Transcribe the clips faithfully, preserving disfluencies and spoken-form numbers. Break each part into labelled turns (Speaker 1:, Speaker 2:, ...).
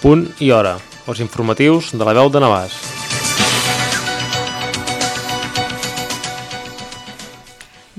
Speaker 1: Punt i hora, els informatius de la veu de Navàs.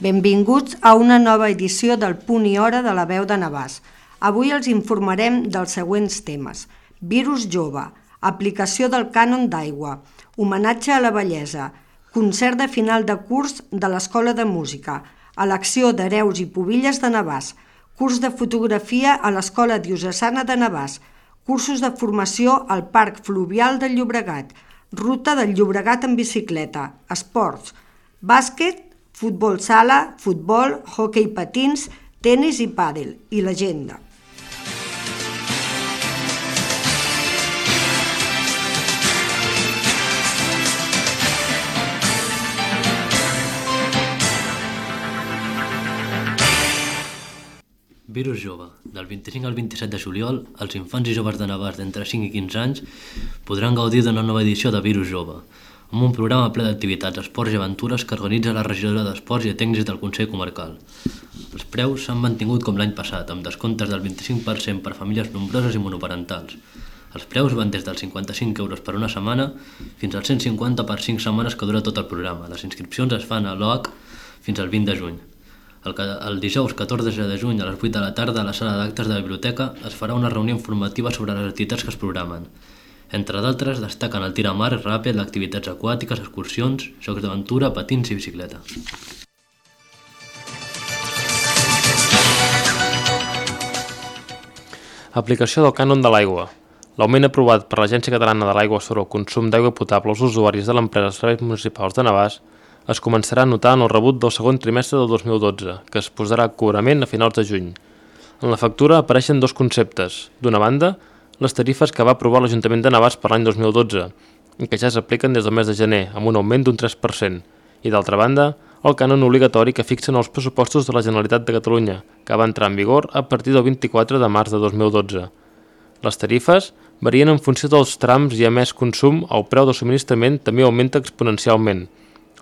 Speaker 2: Benvinguts a una nova edició del Punt i hora de la veu de Navàs. Avui els informarem dels següents temes. Virus jove, aplicació del cànon d'aigua, homenatge a la bellesa, concert de final de curs de l'Escola de Música, elecció d'hereus i pubilles de Navàs, curs de fotografia a l'Escola Diocesana de Navàs, cursos de formació al Parc Fluvial del Llobregat, ruta del Llobregat en bicicleta, esports, bàsquet, futbol sala, futbol, hoquei patins, tenis i pàdel, i l'agenda.
Speaker 3: Virus jove. Del vint-i-cinc al vint-i-set de juliol, els infants i joves de Navàs d'entre cinc i quinze anys podran gaudir d'una nova edició de Virus jove, amb un programa ple d'activitats, esports i aventures que organitza la regidora d'Esports i Tècnics del Consell Comarcal. Els preus s'han mantingut com l'any passat, amb descomptes del vint-i-cinc per cent per famílies nombroses i monoparentals. Els preus van des dels cinquanta-cinc euros per una setmana fins als cent cinquanta per cinc setmanes que dura tot el programa. Les inscripcions es fan a l'O H fins al vint de juny. El, el dijous catorze de juny a les vuit de la tarda a la sala d'actes de la biblioteca es farà una reunió informativa sobre les activitats que es programen. Entre d'altres destaquen el tir a mar, ràpid, activitats aquàtiques, excursions, jocs d'aventura, patins i bicicleta.
Speaker 1: Aplicació del cànon de l'aigua. L'augment aprovat per l'Agència Catalana de l'Aigua sobre el consum d'aigua potable als usuaris de l'empresa Serveis Municipals de Navàs es començarà a notar en el rebut del segon trimestre del dos mil dotze, que es posarà a cobrament a finals de juny. En la factura apareixen dos conceptes. D'una banda, les tarifes que va aprovar l'Ajuntament de Navàs per l'any dos mil dotze, i que ja s'apliquen des del mes de gener, amb un augment d'un tres per cent. I d'altra banda, el cànon obligatori que fixen els pressupostos de la Generalitat de Catalunya, que va entrar en vigor a partir del vint-i-quatre de març de dos mil dotze. Les tarifes varien en funció dels trams i a més consum, el preu de subministrament també augmenta exponencialment,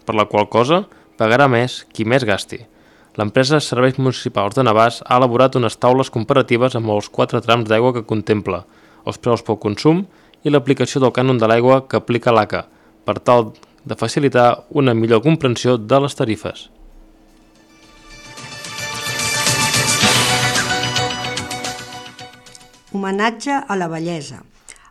Speaker 1: per la qual cosa pagarà més qui més gasti. L'empresa Serveis Municipals de Navàs ha elaborat unes taules comparatives amb els quatre trams d'aigua que contempla, els preus pel consum i l'aplicació del cànon de l'aigua que aplica l'A C A, per tal de facilitar una millor comprensió de les tarifes.
Speaker 2: Homenatge a la bellesa.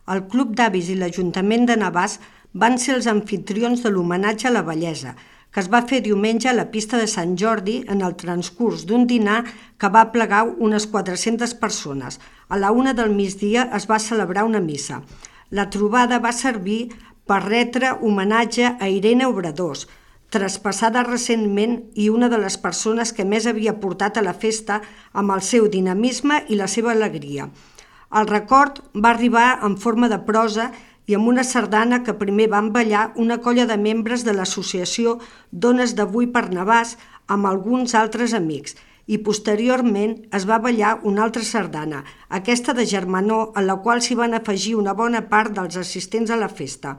Speaker 2: El Club d'Avis i l'Ajuntament de Navàs van ser els anfitrions de l'homenatge a la bellesa, que es va fer diumenge a la pista de Sant Jordi en el transcurs d'un dinar que va plegar unes quatre-centes persones. A la una del migdia es va celebrar una missa. La trobada va servir per retre homenatge a Irene Obradors, traspassada recentment i una de les persones que més havia portat a la festa amb el seu dinamisme i la seva alegria. El record va arribar en forma de prosa i amb una sardana que primer van ballar una colla de membres de l'associació Dones d'Avui per Navàs amb alguns altres amics, i posteriorment es va ballar una altra sardana, aquesta de germanor, en la qual s'hi van afegir una bona part dels assistents a la festa.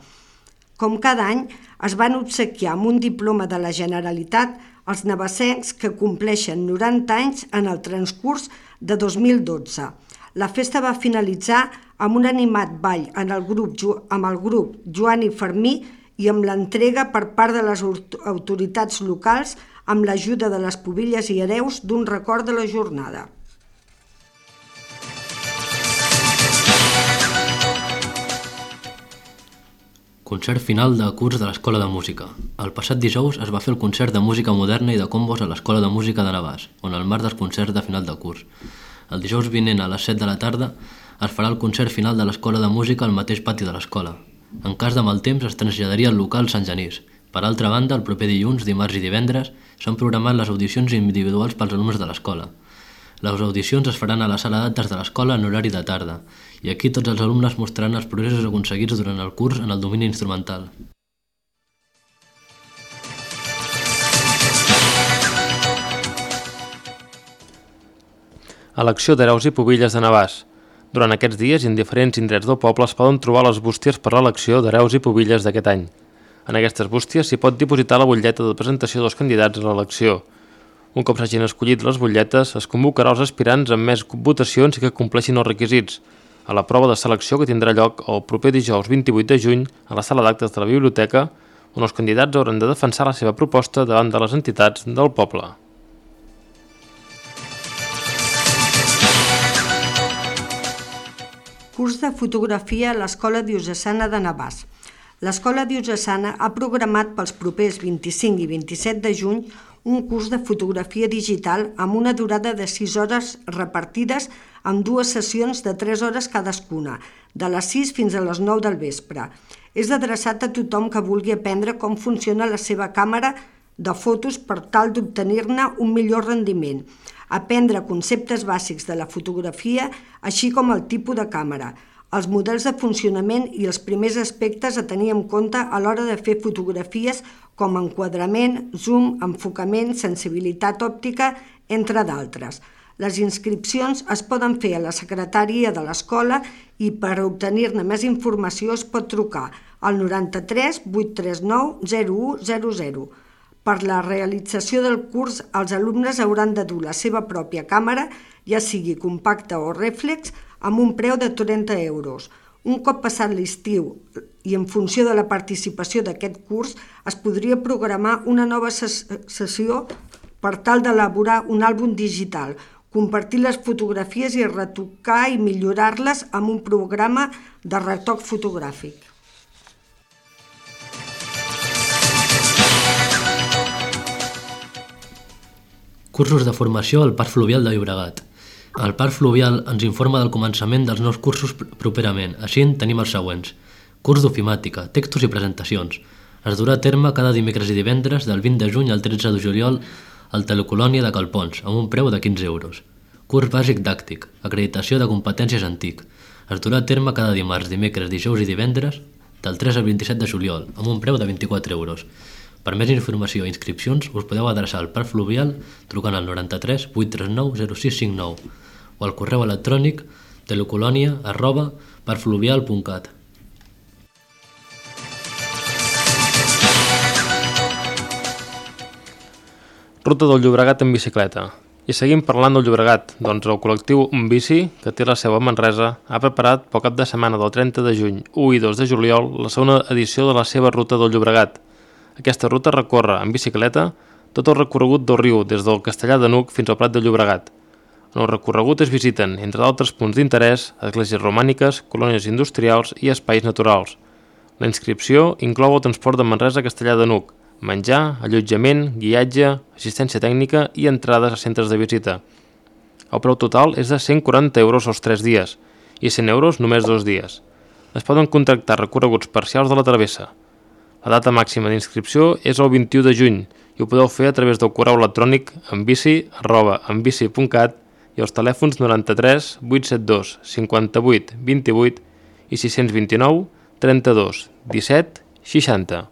Speaker 2: Com cada any, es van obsequiar amb un diploma de la Generalitat els navassencs que compleixen noranta anys en el transcurs de dos mil dotze. La festa va finalitzar amb un animat ball en el grup, amb el grup Joan i Fermí i amb l'entrega per part de les autoritats locals amb l'ajuda de les pubilles i hereus d'un record de la jornada.
Speaker 3: Concert final de curs de l'Escola de Música. El passat dijous es va fer el concert de música moderna i de combos a l'Escola de Música de Navàs, on el marc dels concerts de final de curs. El dijous vinent a les set de la tarda es farà el concert final de l'Escola de Música al mateix pati de l'escola. En cas de mal temps es traslladaria al local Sant Genís. Per altra banda, el proper dilluns, dimarts i divendres s'han programat les audicions individuals pels alumnes de l'escola. Les audicions es faran a la sala d'actes de l'escola en horari de tarda, i aquí tots els alumnes mostraran els progressos aconseguits durant el curs en el domini instrumental.
Speaker 1: Elecció d'hereus i pubilles de Navàs. Durant aquests dies i en diferents indrets del poble es poden trobar les bústies per l'elecció d'hereus i pubilles d'aquest any. En aquestes bústies s'hi pot dipositar la butlleta de presentació dels candidats a l'elecció. Un cop s'hagin escollit les butlletes, es convocarà els aspirants amb més votacions i que compleixin els requisits. a la prova de selecció que tindrà lloc el proper dijous vint-i-vuit de juny a la sala d'actes de la biblioteca, on els candidats hauran de defensar la seva proposta davant de les entitats del poble.
Speaker 2: Curs de fotografia a l'Escola Diocesana de Navàs. L'Escola Diocesana ha programat pels propers vint-i-cinc i vint-i-set de juny un curs de fotografia digital amb una durada de sis hores repartides en dues sessions de tres hores cadascuna, de les sis fins a les nou del vespre. És adreçat a tothom que vulgui aprendre com funciona la seva càmera de fotos per tal d'obtenir-ne un millor rendiment, aprendre conceptes bàsics de la fotografia, així com el tipus de càmera, els models de funcionament i els primers aspectes a tenir en compte a l'hora de fer fotografies com enquadrament, zoom, enfocament, sensibilitat òptica, entre d'altres. Les inscripcions es poden fer a la secretaria de l'escola i per obtenir-ne més informació es pot trucar al noranta-tres vuit tres nou zero u zero zero. Per la realització del curs, els alumnes hauran de dur la seva pròpia càmera, ja sigui compacta o rèflex, amb un preu de trenta euros. Un cop passat l'estiu i en funció de la participació d'aquest curs, es podria programar una nova sessió per tal d'elaborar un àlbum digital, compartir les fotografies i retocar i millorar-les amb un programa de retoc fotogràfic.
Speaker 3: Cursos de formació al Parc Fluvial de Llobregat. El Parc Fluvial ens informa del començament dels nous cursos properament. Així en tenim els següents. Curs d'ofimàtica, textos i presentacions. Es durà a terme cada dimecres i divendres del vint de juny al tretze de juliol al Telecolònia de Calpons, amb un preu de quinze euros. Curs bàsic dàctic, acreditació de competències antic. Es durà a terme cada dimarts, dimecres, dijous i divendres del tres al vint-i-set de juliol, amb un preu de vint-i-quatre euros. Per més informació i inscripcions us podeu adreçar al Parc Fluvial trucant al noranta-tres vuit tres nou zero sis cinc nou o al correu electrònic telecolònia arroba parcfluvial punt cat.
Speaker 1: Ruta del Llobregat en bicicleta. I seguim parlant del Llobregat, doncs el col·lectiu Un Bici, que té la seu a Manresa, ha preparat pel cap de setmana del trenta de juny, u i dos de juliol, la segona edició de la seva Ruta del Llobregat. Aquesta ruta recorre en bicicleta tot el recorregut del riu des del Castellar de Nuc fins al Prat de Llobregat. En el recorregut es visiten, entre d'altres punts d'interès, esglésies romàniques, colònies industrials i espais naturals. La inscripció inclou el transport de Manresa a Castellar de Nuc, menjar, allotjament, guiatge, assistència tècnica i entrades a centres de visita. El preu total és de cent quaranta euros els tres dies i cent euros només dos dies. Es poden contractar recorreguts parcials de la travessa. La data màxima d'inscripció és el vint-i-u de juny i ho podeu fer a través del correu electrònic enbici arroba enbici punt cat i els telèfons noranta-tres vuit set dos cinquanta-vuit vint-i-vuit i sis cents vint-i-nou trenta-dos disset seixanta.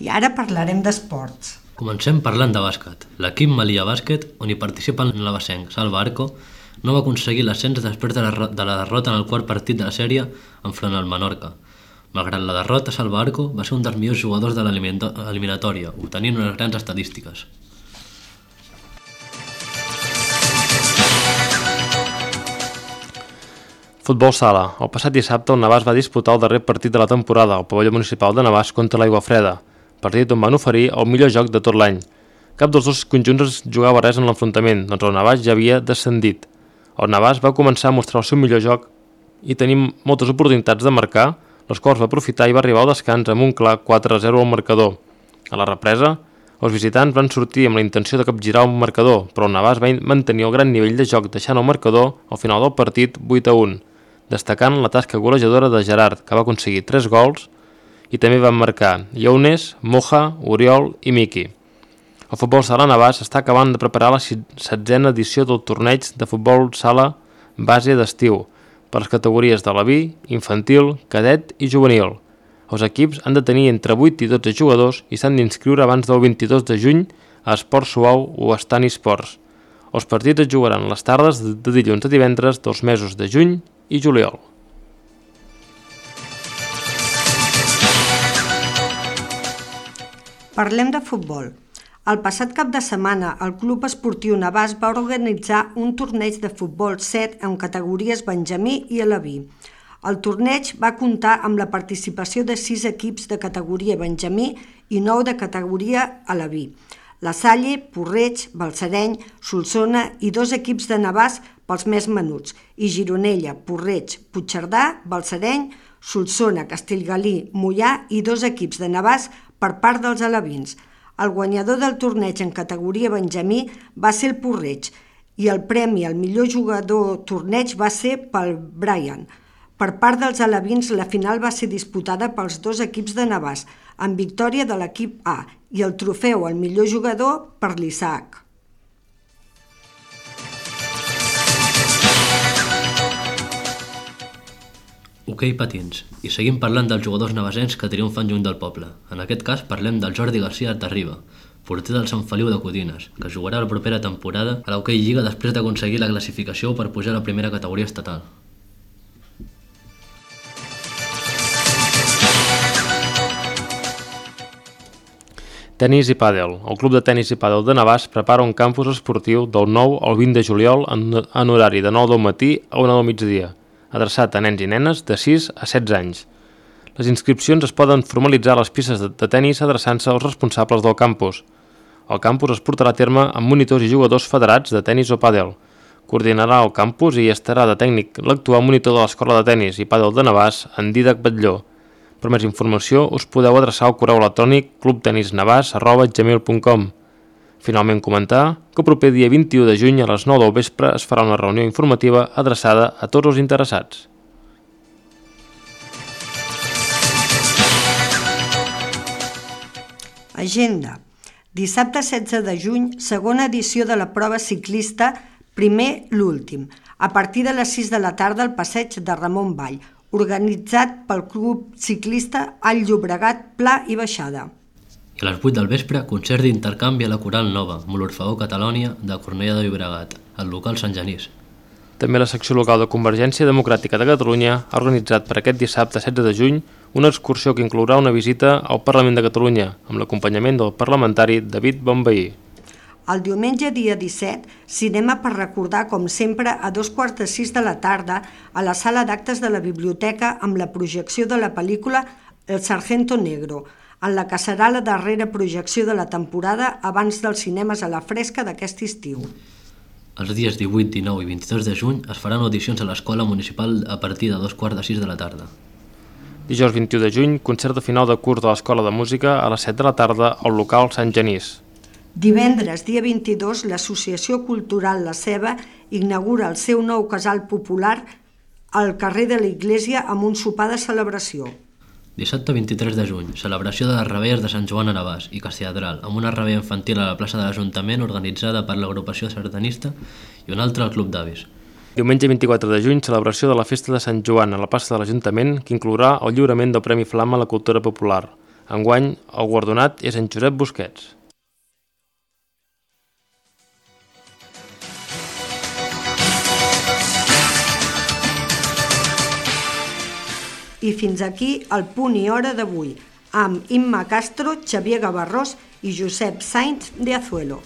Speaker 2: I ara parlarem d'esports.
Speaker 3: Comencem parlant de bàsquet. L'equip Malia Bàsquet, on hi participa el navasenc Salva Arco, no va aconseguir l'ascens després de la, de la derrota en el quart partit de la sèrie enfront al Menorca. Malgrat la derrota, Salva Arco va ser un dels millors jugadors de l'eliminatòria, obtenint unes grans estadístiques.
Speaker 1: Futbol sala. El passat dissabte el Navàs va disputar el darrer partit de la temporada al pavelló municipal de Navàs contra l'Aiguafreda, partit on van oferir el millor joc de tot l'any. Cap dels dos conjunts jugava res en l'enfrontament, doncs el Navàs ja havia descendit. El Navàs va començar a mostrar el seu millor joc i tenir moltes oportunitats de marcar, les quals va aprofitar i va arribar al descans amb un clar quatre a zero al marcador. A la represa, els visitants van sortir amb la intenció de capgirar el marcador, però el Navàs va mantenir el gran nivell de joc deixant el marcador al final del partit vuit a un, destacant la tasca golejadora de Gerard, que va aconseguir tres gols, i també van marcar Younes, Moja, Oriol i Miki. El futbol sala Navàs està acabant de preparar la setzena edició del torneig de futbol sala base d'estiu per les categories de la B, infantil, cadet i juvenil. Els equips han de tenir entre vuit i dotze jugadors i s'han d'inscriure abans del vint-i-dos de juny a Esport Suau o a Estani Esports. Els partits es jugaran les tardes de dilluns a divendres dels mesos de juny i juliol.
Speaker 2: Parlem de futbol. El passat cap de setmana, el Club Esportiu Navàs va organitzar un torneig de futbol set en categories Benjamí i Aleví. El torneig va comptar amb la participació de sis equips de categoria Benjamí i nou de categoria Aleví. La Salle, Porreig, Balsareny, Solsona i dos equips de Navàs pels més menuts, i Gironella, Porreig, Puigcerdà, Balsareny, Solsona, Castellgalí, Moià i dos equips de Navàs per part dels alevins. El guanyador del torneig en categoria Benjamí va ser el Porreig i el premi al millor jugador torneig va ser pel Brian. Per part dels alevins, la final va ser disputada pels dos equips de Navàs, amb victòria de l'equip A, i el trofeu al millor jugador per l'Isaac.
Speaker 3: Hoquei patins. I seguim parlant dels jugadors navasencs que triomfen lluny del poble. En aquest cas parlem del Jordi García Tarriba, porter del Sant Feliu de Codines, que jugarà la propera temporada a l'Hoquei Lliga després d'aconseguir la classificació per pujar a la primera categoria estatal.
Speaker 1: Tenis i pàdel. El Club de Tenis i Pàdel de Navàs prepara un campus esportiu del nou al vint de juliol en horari de nou del matí a una del migdia, adreçat a nens i nenes de sis a setze anys. Les inscripcions es poden formalitzar a les pistes de tenis adreçant-se als responsables del campus. El campus es portarà a terme amb monitors i jugadors federats de tenis o pàdel. Coordinarà el campus i estarà de tècnic l'actual monitor de l'Escola de Tenis i Pàdel de Navàs, en Dídac Batlló. Per més informació us podeu adreçar al correu electrònic clubtenisnavàs arroba gmail punt com. Finalment comentar que el proper dia vint-i-u de juny a les nou del vespre es farà una reunió informativa adreçada a tots els interessats.
Speaker 2: Agenda. Dissabte setze de juny, segona edició de la prova ciclista Primer l'últim, a partir de les sis de la tarda al passeig de Ramon Vall, organitzat pel Club Ciclista Alt Llobregat Pla i Baixada.
Speaker 3: I a les vuit del vespre, concert d'intercanvi a la Coral Nova, amb l'Orfeó Catalònia de Cornellà de Llobregat, al local Sant Genís.
Speaker 1: També la secció local de Convergència Democràtica de Catalunya ha organitzat per aquest dissabte setze de juny una excursió que inclourà una visita al Parlament de Catalunya, amb l'acompanyament del parlamentari David Bonveí.
Speaker 2: El diumenge dia disset, cinema per recordar, com sempre, a dos quarts de sis de la tarda a la sala d'actes de la biblioteca amb la projecció de la pel·lícula El Sargento Negro, en la que serà la darrera projecció de la temporada abans dels cinemes a la fresca d'aquest estiu.
Speaker 3: Els dies divuit, dinou i vint-i-dos de juny es faran audicions a l'Escola Municipal a partir de dos quarts de sis de la tarda.
Speaker 1: Dijous vint-i-u de juny, concert de final de curs de l'Escola de Música a les set de la tarda al local Sant Genís.
Speaker 2: Divendres, dia vint-i-dos, l'Associació Cultural La Ceba inaugura el seu nou casal popular al carrer de la Iglésia amb un sopar de celebració.
Speaker 3: Dissabte vint-i-tres de juny, celebració de les reveilles de Sant Joan a Navàs i Castelladral, amb una reveilla infantil a la plaça de l'Ajuntament organitzada per l'agrupació sardanista i una altra al Club d'Avis.
Speaker 1: Diumenge vint-i-quatre de juny, celebració de la Festa de Sant Joan a la plaça de l'Ajuntament, que inclourà el lliurament del Premi Flama a la Cultura Popular. Enguany, el guardonat és en Josep Busquets.
Speaker 2: I fins aquí el punt i hora d'avui, amb Imma Castro, Xavier Gavarrós i Josep Sainz de Azuelo.